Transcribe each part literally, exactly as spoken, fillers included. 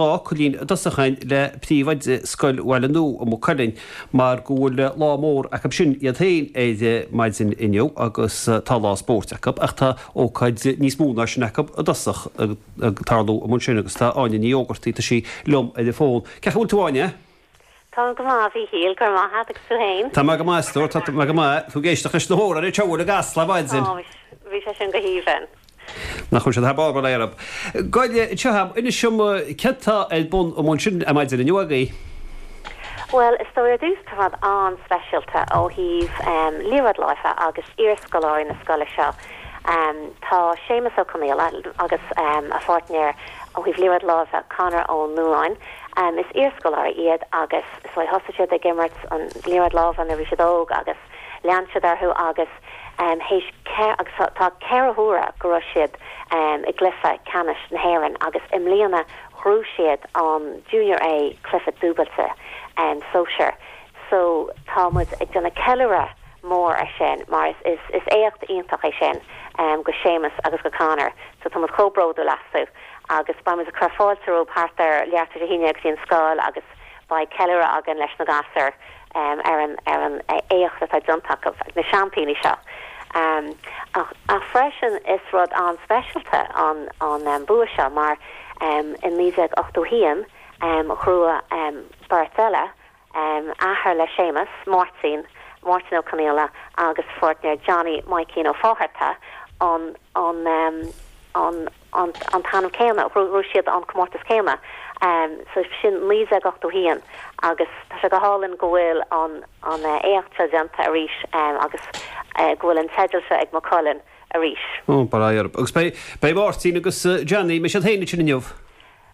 dhá fhocailín i dtosach againn le príomhoide Scoil Bhaile Nua i Maigh Cuilinn mar go bhfuil lá mór acu sin iad féin ar maidin inniu agus tá lá spóirt acu ach tá ócáid níos mó ná sin acu i dtosach ag tarlú amuigh ansin agus tá Áine Ní Ógartaigh tá sí liom ar an bhfón. Cén chaoi a bhfuil tú Áine? Tá go maith a Mhíchíl go raibh maith agat agus tú féin. Tá mé go maith tá mé go maith tú ag éisteacht leis na hamhráin ar siúl i gCasla ar maidin. Bhí sé sin go haoibhinn. Nach bhfuil siad thar barr le Goile seo inis dom céard atá ar bun amuigh ansin ar maidin inniu agaibh. Well is dóigh ar dtús tá rud an-speisialta ó thaobh um, liathróid láimhe agus iarscoláirí na scoile seo. Um, tá Séamus Ó Conaola agus um, a pháirtnéir ó thaobh liathróid láimhe Conor Ó Nuáin. Um, is iarscoláirí iad agus so thosaigh siad ag imirt an liathróid láimhe nuair a bhí siad óg agus lean siad orthu agus um, théis agus tá ceithre huaire go raibh siad um, i gcluiche ceannais na hÉireann agus i mbliana ghnóthaigh siad an Junior A cluiche dúbailte um, sóisir. So tá muid ag déanamh ceiliúradh mór ar sin mar is, is, is éacht iontach é sin um, go Séamus agus go Conor, so tá muid chomh bródúil astu agus beidh muid ag cur fáilte rompu thart ar leathuair tar éis a haon go dtí an scoil agus beidh ceiliúradh againn leis na gasúir um, ar an ar an éacht atá déanta acu na seaimpíní seo. Um, ach, ach freisin is rud an-speisialta an an um, bua seo mar um, in naoi déag ochtó haon um, ghnóthaigh um, beirt eile um, athair le Séamus Máirtín Máirtín Ó Conaola agus pháirtnéir Johnny Mikeen Ó Fátharta an an um, an an an t-ainm céanna ghnóthaigh siad an comórtas céanna um, so sin naoi déag ochtó haon agus tá sé go hálainn go bhfuil an an uh, éacht seo déanta arís um, agus uh, go bhfuil an teideal seo ag Maigh Cuilinn arís. Ó bail agus beidh beidh Máirtín agus uh, Johnny mbeidh siad féin ansin inniu.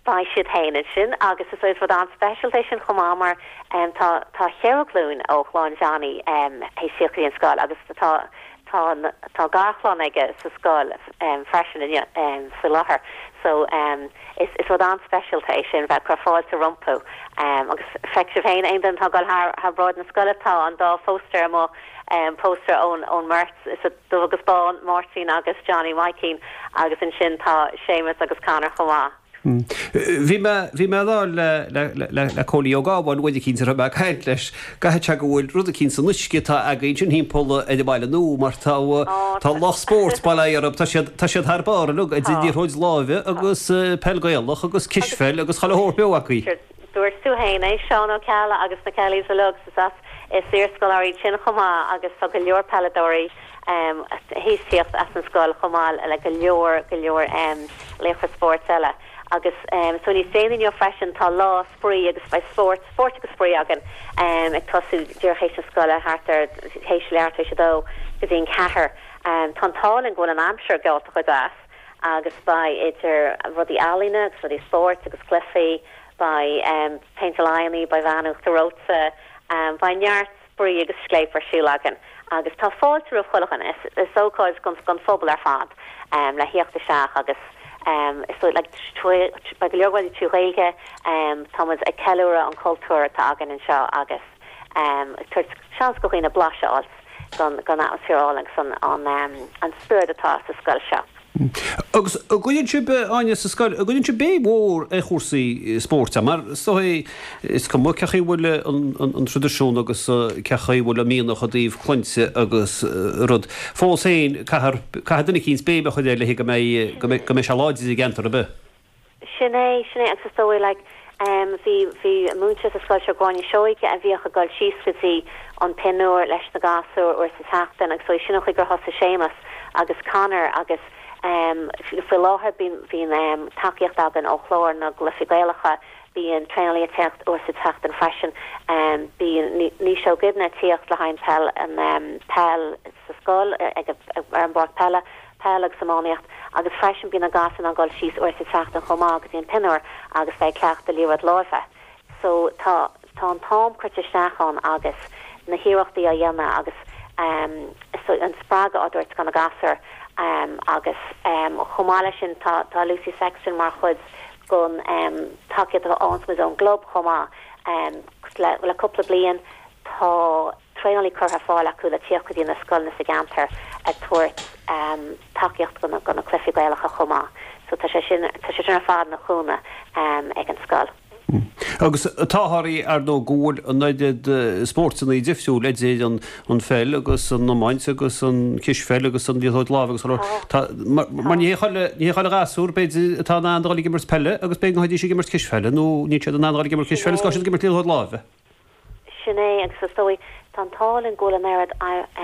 Beidh siad féin ansin agus is is rud an-speisialta sin chomh maith mar um, tá tá ceithre ghlúin ó chlann Johnny um, théis an scoil agus tá tá tá garchlann aige sa scoil um, freisin um, faoi láthair. So um, is, is rud an-speisialta é sin bheith cur fáilte rompu um, agus feicfidh sibh féin aon duine atá ag dul thar thar bráid na scoile tá an dá phóstaer amuigh um, póstaer ón ón mbeirt is dubh agus bán Máirtín agus Johnny Mikeen agus ansin tá Séamus agus Conor chomh maith. Bhí mé bhí mé lá le le le le Cóilí Ó Gábháin bhfuil cinn ar me caint leis go go bhfuil rud cinn san uisce tá againn sin timpeall ar an bhaile nua mar tá tá lucht spóirt bail orthu tá siad tá siad thar barr le liathróid láimhe agus peil Ghaelach agus cispheil agus chuile shórt beo acu. Dúirt tú féin é Seán Ó Ceallaigh agus na Kellys a lug as is iarscoláirí sin chomh maith agus tá go leor peileadóirí um, théis tíocht as an scoil chomh maith le go leor go leor um, laochra spóirt eile. agus um, so níos déanaí inniu freisin tá lá spraoi agus beidh spórt spórt agus spraoi againn um, ag tosú díreach théis na scoile thart ar théis leathuair tar éis a dó go dtí an ceathair. Um, tá táling bhfuil an aimsir geallta go deas agus beidh idir rudaí ealaíne agus rudaí spóirt agus cluichí, beidh um, péinteáil aghaidheanna, beidh veain uachtar reoite, um, beidh neart spraoi agus scléip ar siúl againn. agus tá fáilte roimh chuile dhuine is, is ócáid gon gon phobal ar fad um, le theacht isteach agus um, is so, like, beidh go leor rudaí trí Ghaeilge um, tá ag ceiliúradh an cultúr atá againn anseo agus um, seans go dhaoine blaiseadh gon gon atmaisféar agus an an, um, an spiorad atá sa scoil seo. Agus an gcuireann sibh Áine sa scoil, an gcuireann sibh béim mhór ar chúrsaí spóirt mar so is cuma cé chaoi bhfuil an traidisiún agus cé chaoi bhfuil an mianach i dtaobh cluinte agus rud. Fós féin caithfidh duine eicínt béim a chur air le go mbeidh go mbeidh sé láidir i gceantar ar bith. Sin é sin é agus is dóigh like, um, bhí bhí múinteoir sa scoil seo Gráinne Seoige a bhíodh ag dul síos go dtí an pinúr leis na gasúir uair sa tseachtain agus so sin chuig gur thosaigh Séamus agus Conor agus um, faoi láthair bíonn bíonn um, tacaíocht againn ó chlár na gcluichí Gaelacha bíonn traenálaí ag teacht uair sa tseachtain freisin um, bíonn ní seo gibna tíocht le hain peil an um, peil sa scoil ag ar an bpáirc peile peil agus iománaíocht agus freisin bíonn na gasúir ag dul síos uair sa tseachtain chomh maith go dtí an pinúr agus bheith cleachtadh liathróid láimhe. So tá tá an t-am curtha isteach ann agus na hiarrachtaí á dhéanamh agus um, so an spreagadh á thabhairt do na gasúir um, agus um, chomh maith leis sin tá tá Lucy Sexton mar chuid gon um, tacaíocht ón ón gclub chomh maith um, le, le cúpla bliain tá traenálaí curtha ar fáil acu le tíocht go dtí na scoileanna sa gceantar ag tabhairt um, tacaíocht go na, go na cluichí Gaelacha chomh maith. So tá sé sin tá sé sin ar fad ina chúnamh um, ag an scoil. Agus táthar ar ndóigh go bhfuil an oiread spórtanna difriúil idir an an pheil agus an iomáint agus an cispheil agus an liathróid láimhe agus tá mar ní ní chuile ghasúr b'fhéidir atá in ann dul ag imirt peile agus b'fhéidir go mbeidís ag imirt cispheile nó níl siad in ann dul ag imirt cispheile is ag imirt liathróid láimhe. Sin é agus is dóigh tá an t-ádh linn go bhfuil an oiread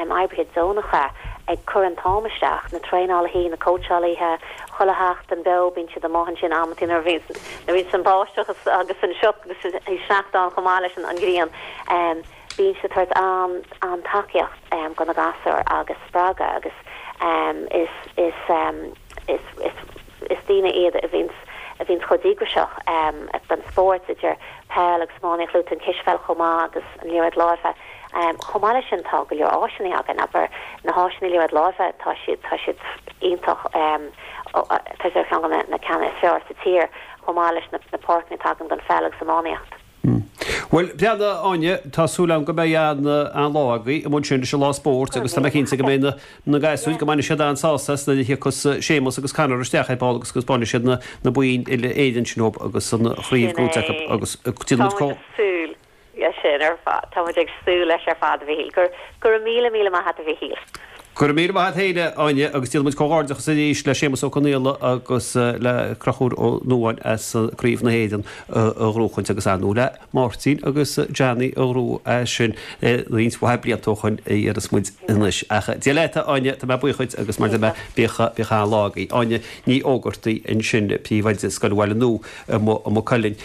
oibrithe deonacha ag cur an t-am isteach, na traenálaithe, na cóitseálaithe, chuile sheachtain beo bíonn siad amuigh ansin amantaí nuair a bhíonn an bháisteach agus an sioc agus an sneachta ann chomh maith leis an ghrian. Bíonn siad ag tabhairt an-tacaíocht do na gasúir agus spreagadh agus is is is is is daoine iad a bhíonn a bhíonn chomh díograiseach don spórt idir peil agus iománaíocht luaite an cispheil chomh maith agus an liathróid láimhe. Chomh maith leis sin tá go leor áiseanna againn, abair na háiseanna liathróid láimhe tá siad tá siad iontach tá siad ar cheann de na ceanna is fearr sa tír chomh maith leis na na páirceanna atá againn don pheil agus iománaíocht. Bhuel, breathnaigh Áine, tá súil agam go mbeidh an an lá agaibh amuigh ansin leis an lá spóirt agus tá mé cinnte go mbeidh na na gasúir go mbainfidh siad an-sásamh as nuair a thiocfas Séamus agus Conor isteach ar ball agus go bainfidh siad na na boinn uile Éireann sin dhóibh agus an chraobh gnóite acu agus déanfaidh muid Tá muid ag súil leis sin ar fad. Tá muid ag súil leis ar fad a Mhichíl. Go go raibh míle míle maith agat a Mhichíl. Go raibh míle maith agat féin, a Áine, agus déanfaidh muid comhghairdeachas arís le Séamus Ó Conaola agus le Conchúr Ó Nuadháin as Craobh na hÉireann a ghnóchaint agus ar ndóigh le Máirtín agus Johnny a ghnóthaigh é sin roinnt mhaith blianta ó shoin a dhéarfas muid anois. Ach Dia leat, a Áine, tá mé buíoch dhuit agus mar a deir mé, bíodh bíodh an-lá agaibh. Áine Ní Ógartaigh ansin, príomhoide Scoil Bhaile Nua i Maigh Cuilinn.